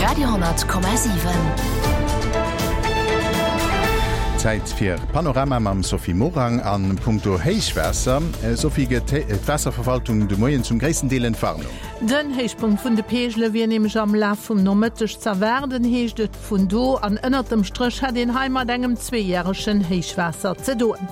Radio,7. Zäit fir Panorama mam Sophie Morang a punkto Héichwaasser. Sophie, gëtt d'Waasserverwaltung de Moien zum gréissten Deel Entwarnung? Den Héichpunkt vun de Peegele wier nämlech am Laf vum Nomëtteg z'erwaarden, heescht et vun do. An ënnert dem Stréch hätt een hei mat engem zweejäregen Héichwaasser ze doen.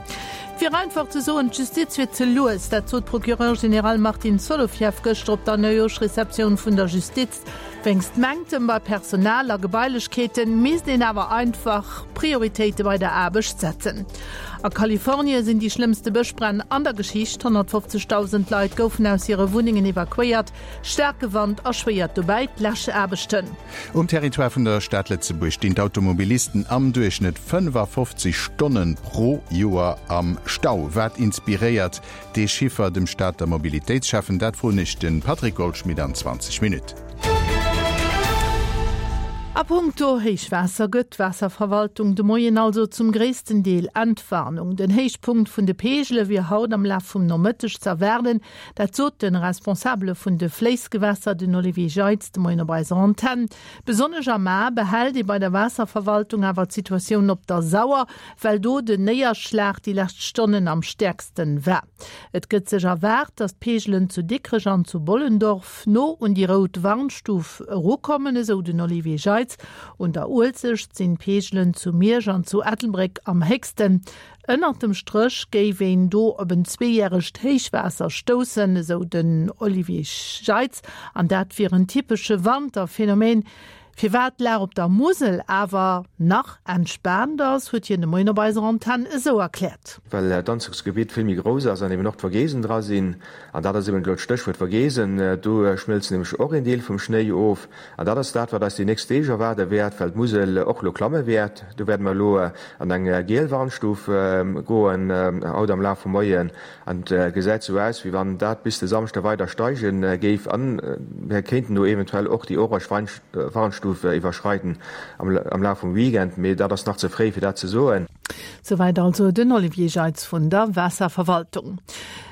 Et wier einfach ze soen, d'Justiz wier ze lues. Dat sot d'Procureur général Martine Solovieff gëschter op der Neujooschreceptioun vun der Justiz. Wéinst Manktem bei Personal a Gebailechkeete misst een awer einfach Prioritéite bei der Aarbecht setzen. A Kalifornie sinn déi schlëmmste Bëschbränn an der Geschicht. 150.000 Leit goufen aus hire Wunnengen evakuéiert. Staarke Wand erschwéiert dobäi d'Läschaarbechten. Um Territoire vun der Stad Lëtzebuerg stinn d'Automobilisten am Duerchschnëtt 55 Stonne pro Joer am Stau. Wat inspiréiert dee Chiffer dem Stater Mobilitéitsschäffen? Dat froen ech de Patrick Goldschmidt an 20 Minutten. A punkto Héichwaasser gëtt d'Waasserverwaltung de Moien also zum gréissten Deel Entwarnung. Den Héichpunkt vun de Peegele wier haut am Laf vum Nomëtteg z'erwaarden. Dat sot de Responsabele vun de Fléissgewässer, den Olivier Jeitz, de Moien op eiser Antenn. Besonnesch am A behält ee bei der Waasserverwaltung awer d'Situatioun op der Sauer, well do den Néierschlag déi lescht Stonnen am stäerksten war. Et gëtt sech erwaart, datt d'Peegelen zu Dikrech an zu Bollendorf no un déi rout Warnstuf erukommen, esou den Olivier Jeitz. Un der Uelzecht sinn d'Peegelen zu Miersch an zu Ettelbréck am héchsten. Ënnert dem Stréch géif een do op en zweejäregt Héichwaasser stoussen, esou den Olivier Jeitz, an dat wier en typesche Wanterphenomen. Firwat d'Lag op der Musel awer nach entspaant ass, huet hien de Moien op eiser Antenn esou erkläert. Well d'Anzuchsgebitt vill méi grouss ass an eben och d'Vogesen dra sinn. An dat ass eben elo d'Stéchwuert Vogesen. Do schmëlzt nämlech och een Deel vum Schnéi of. An dat ass dat, wat eis déi nächst Deeg erwaarde wäert, well d'Musel och elo klamme wäert. Do wäerte mer elo an eng giel Warnstuf goen haut am Laf vum Moien. An et gesäit sou aus, wéi wann dat bis de Samschde weider steige géif. A mir kéinten do eventuell och déi orange Warnstuf iwwerschreiden am Laf vum Weekend, mee dat ass nach ze fréi, fir dat ze soen. Souwäit also den Olivier Jeitz vun der Waasserverwaltung.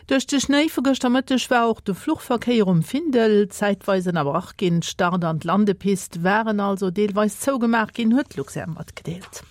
Duerch de Schnéi vu gëschter Mëtteg war och de Fluchverkéier um Findel zäitweis ënnerbrach ginn. D'Start an d'Landepist waren also deelweis zougemaach ginn, huet d'Luxair matgedeelt.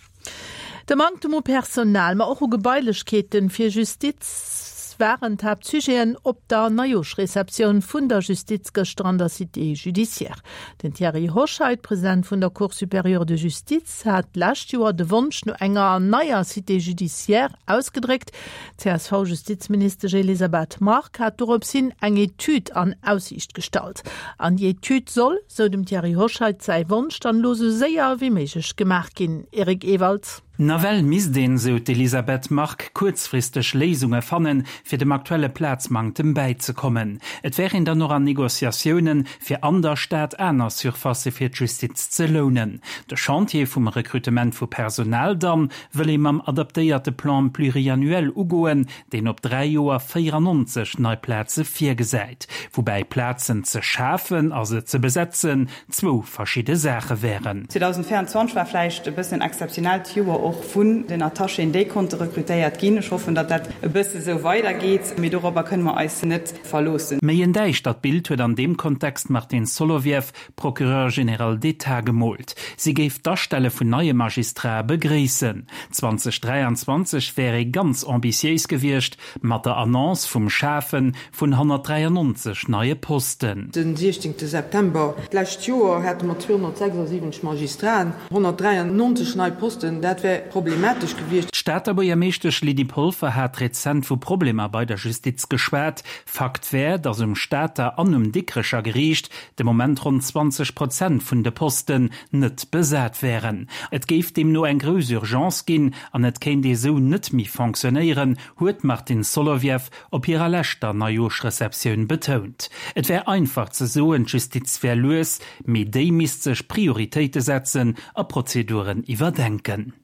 De Manktem u Personal, ma och u Gebailechkeeten fir Justiz waren d'Haaptsujeten op der Neijooschreceptioun vun der Justiz gëschter an der Cité judiciaire. Den Thierry Hoscheit, President vun der Cour supérieure de justice, hat d'lescht Joer de Wonsch no enger neier Cité judiciaire ausgedréckt. D'CSV-Justizministesch Elisabeth Margue hat dorops hin eng Etüd an Aussiicht gestallt. An déi Etüd soll, sou dem Thierry Hoscheit säi Wonsch, dann elo sou séier wéi méiglech gemaach ginn. Eric Ewald. Nawell misst een, sou d'Elisabeth Margue, kuerzfristeg Léisunge fannen, fir dem aktuelle Plazmanktem bäizekommen. Et wär een dann och an Negociatiounen, fir an der Stad aner Surfacë fir d'Justiz ze lounen. De Chantier vum Rekrutement vu Personal dann wëll ee mam adaptéierte Plan pluriannuel ugoen, deen op 3 Joer 94 nei Plaze virgesäit. Woubäi Plazen ze schafen a se ze besetzen zwou verschidde Saache wären. 2024 war vläicht e bëssen en exzeptionellt Joer och vun den Attachéen, déi konnte rekrutéiert ginn. Ech hoffen, datt dat e bësse sou weidergeet, mee dorobber kënne mer eis net verloossen. Méi en däischtert Bild huet an deem Kontext d'Martine Solovieff, Procureur général d'État, gemoolt. Si géif d'Astelle vun neie Magistrate begréissen. 2023 wär ee ganz ambitiéis gewiescht mat der Annonce vum Schafe vun 193 neie Posten. Den 16 September d'lescht Joer hate mer 276 Magistraten, 193 nei Posten, dat wär problematesch gewiescht. D'Stater Buergermeeschtesch Lydie Polfer hat rezent vu Problemer bei der Justiz geschwat. Fakt wär, datt um Stater an um Dikrecher Geriicht de Moment ronn 20 Prozent vun de Posten net besat wären. Et géif deemno eng grouss Urgence ginn an et kéint ee sou net méi fonctionnéieren, huet d'Martine Solovieff op hirer leschter Neijooschreceptioun betount. Et wär einfach ze soen, d'Justiz wär lues, mee déi misst sech Prioritéite setzen a Prozeduren iwwerdenken.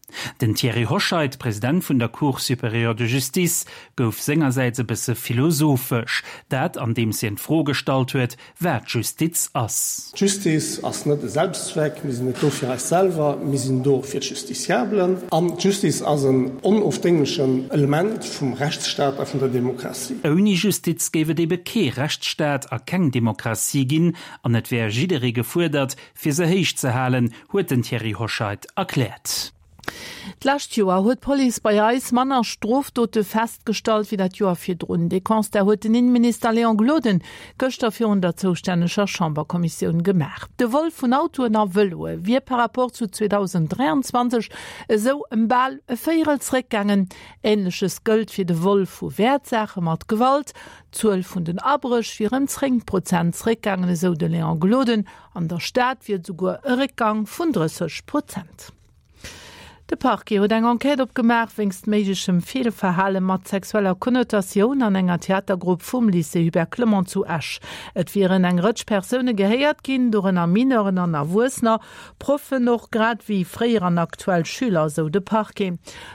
Den Thierry Hoscheit, President vun der Cour supérieure de justice, gouf sengersäits e bësse philosophesch, dat andeems hien d'Fro gestallt huet, wat Justiz ass. D'Justiz ass net e Selbstzweck, mir sinn net do fir eis selwer, mir sinn do fir d'Justiciablen. An d'Justiz ass en onofdénglechen Element vum Rechtsstaat a vun der Demokratie. Ouni Justiz géif et ebe kee Rechtsstaat a keng Demokratie ginn an et wär jidderee gefuerdert, fir se héich ze halen, huet den Thierry Hoscheit erkläert. D'lescht Joer huet d'Police bei eis manner Strofdote festgestallt wéi dat Joer virdrun. Dee Constat huet den Inneminister Léon Gloden gëschter virun der zoustänneger Chamberkommissioun gemaach. De Vol vun Autoen a Vëloe wier par rapport zu 2023 esou ëm bal e Véierel zeréckgaangen. Änleches gëllt fir de Vol vu Wäertsaache mat Gewalt. D'Zuel vun den Abréch wier ëm 10 Prozent zeréckgaangen, esou de Léon Gloden. An der Stad wier et esouguer e Réckgang vun 30 Prozent. De Parquet huet eng Enquête opgemaach wéinst méiglechem Feelverhale mat sexueller Konnotatioun an enger Theatergrupp vum Lycée Hubert Clement zu Esch. Et wieren eng Rëtsch Persoune gehéiert ginn, dorënner Mineuren an Erwuessener, Proffen och, grad ewéi fréier an aktuell Schüler, esou de Parquet.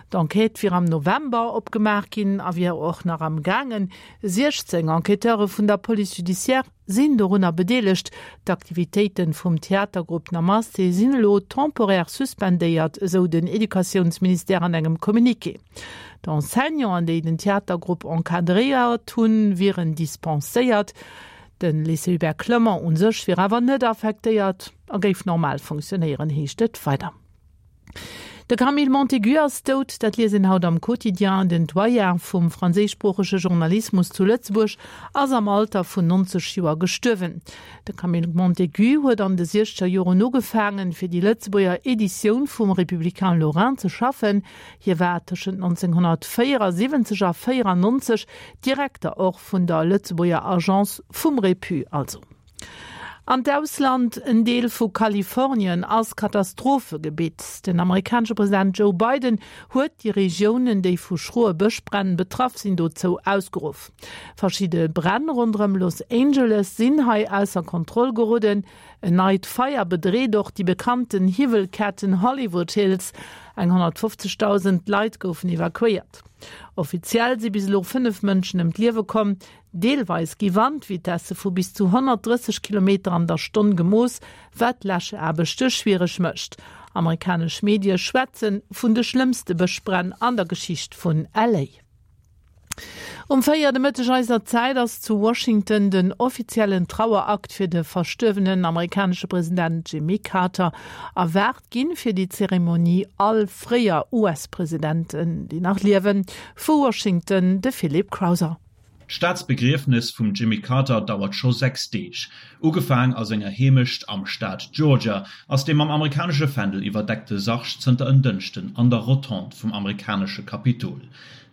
D'Enquête wier am November opgemaach ginn a wier och nach am gaangen. 16 Enquêteure vun der Police judiciaire sinn dorunner bedeelegt. D'Aktivitéite vum Theatergrupp Namaste sinn elo temporaire suspendéiert, esou den Educatiounsministère an engem Communiqué. D'Enseignanten, déi den Theatergrupp encadréiert hunn, wieren dispenséiert. De Lycée Hubert Clement u sech wier awer net affektéiert a géif normal funktionéieren, heescht et weider. De Camille Montaigu ass dout, dat liest een haut am Quotidien. Den Doyen vum franséischsproochege Journalismus zu Lëtzebuerg ass am Alter vun 90 Joer gestuerwen. De Camille Montaigu huet an de siechzeger Joren ugefaangen, fir déi Lëtzebuerger Editioun vum Républicain Lorrain ze schaffen. Hie war tëschent 1974 a 94 Direkter och vun der Lëtzebuerger Agence vum Répu also. An d'Ausland, En Deel vu Kalifornien ass Katastrophegebitt. Den amerikanesche President Joe Biden huet déi Regiounen, déi vu schroe Bëschbränn betraff sinn, dozou ausgeruff. Verschidde Bränn ronderëm Los Angeles sinn hei ausser Kontroll geroden. En neit Feier bedreet och déi bekannten Hiwwelketten Hollywood Hills. Eng 150.000 Leit goufen evakuéiert. Offiziell si bis elo 5 Mënschen ëm d'Liewe komm. Deelweis gi Wandvitesse vu bis zu 130 Kilometer an der Stonn gemooss, wat d'Läschaarbechte schwiereg mécht. Amerikanesch Medie schwätze vun de schlëmmste Bëschbränn an der Geschicht vun LA. Um 4 de Mëtteg eiser Zäit ass zu Washington den offiziellen Trauerakt fir de verstuerwenen amerikanesche President Jimmy Carter erwaart ginn. Fir déi Zeremonie all fréier US-Presidenten, déi nach liewen. Vu Washington de Philip Crowther. D'Staatsbegriefnes vum Jimmy Carter dauert scho 6 Deeg. Ugefaang a senger Heemecht am Staat Georgia, ass dee mam amerikanesche Fändel iwwerdeckte Sarg zënter en Dënschden an der Rotonde vum amerikanesche Kapitol.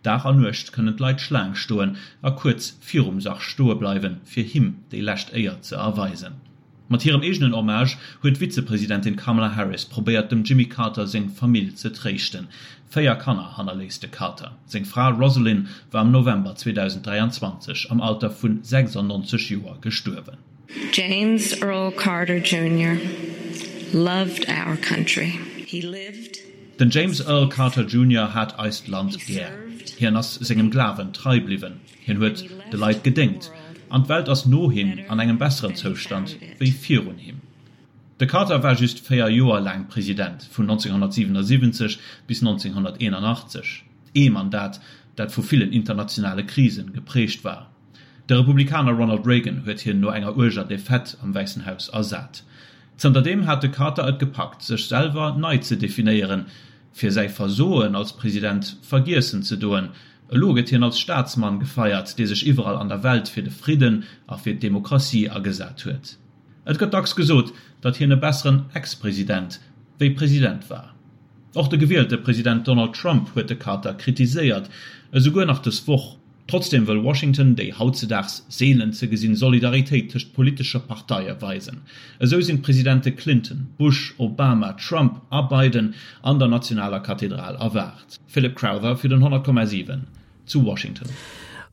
Dag a Nuecht kënnen d'Leit Schlaang stoen a kuerz virum Sarg stoe bleiwen, fir him déi lescht Éier ze erweisen. Mat hirem eegenen Hommage huet d'Vizepresidentin Kamala Harris probéiert dem Jimmy Carter seng Famill ze tréischten. 4 Kanner hannerléisst de Carter. Seng Fra Rosalynn war am November 2023 am Alter vun 96 Joer gestuerwen. James Earl Carter Junior loved our country. He lived. Den James Earl Carter Junior hat eist Land gär. Hien ass sengem Glawen trei bliwwen. Hien huet de Leit gedéngt, an d'Welt ass no him an engem besseren Zoustand wéi virun him. De Carter war just 4 Joer laang President, vun 1977 bis 1981, ee Mandat, dat vu villen internationale Krisen geprägt war. De Republikaner Ronald Reagan huet hien no enger uerger Defaite am Wäissen Haus ersat. Zënterdeem hat de Carter et gepackt, sech selwer nei ze definéieren, fir säi Versoen als President vergiessen ze doen. Elo gëtt hien als Staatsmann gefeiert, dee sech iwwerall an der Welt fir de Fridden a fir d'Demokratie agesat huet. Et gëtt dacks gesot, datt hien e besseren Ex-President wéi President war. Och de gewielte President Donald Trump huet de Carter kritiséiert, esouguer nach dës Woch. Trotzdeem wëll Washington déi hautzedaags seelen ze gesinn Solidaritéit tëscht politesche Parteie weisen. Esou sinn d'Presidente Clinton, Bush, Obama, Trump a Biden an der nationaler Kathedral erwaart. Philip Crowther fir den 100,7 zu Washington.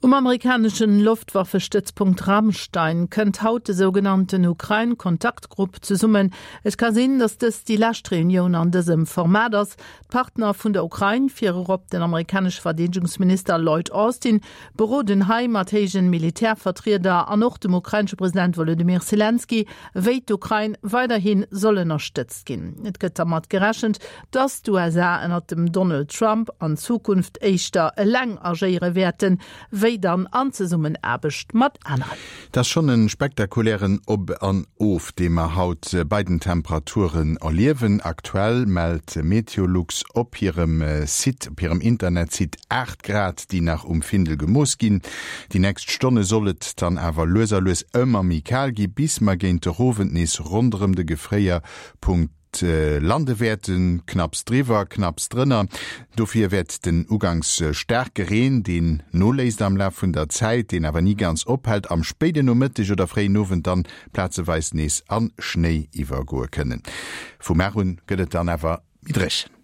Um amerikaneschen Loftwaffestëtzpunkt Ramstein kënnt haut de sougenannten Ukrain-Kontaktgrupp zesummen. Et ka sinn, datt dëst déi lescht Reunioun an dësem Format ass. D'Partner vun der Ukrain, virerop den amerikanesche Verdeedegungsminister Lloyd Austin, beroden hei mat héijen Militärvertrieder an och dem ukrainesche President Wolodymyr Selenskyj, wéi d'Ukrain weiderhi soll ënnerstëtzt ginn. Et gëtt dermat gerechent, Dass d'USA ënnert dem Donald Trump an Zukunft éischter eleng agéiere wäerten, wéi dann an Zesummenaarbecht mat aneren. Et ass schonn e spektakulären Op an Of, dee mer haut bei den Temperaturen erliewen. Aktuell mellt Meteolux op hirem Site, op hirem Internetsite 8 Grad, déi nach um Findel gemooss ginn. Déi nächst Stonne soll et dann awer lues a lues ëmmer méi kal gi, bis mer géint de Owend nees ronderëm de Gefréierpunkt lande wäerten, knapps driwwer, knapps drënner. Dofir wäert den uganks staarke Reen, deen noléisst am Laf vun der Zäit, deen awer ni ganz ophält, am spéiden Nomëtteg oder fréien Owend dann plazeweis nees a Schnéi iwwergoe kënnen. Vum Mar un gëtt et dann awer méi dréchen.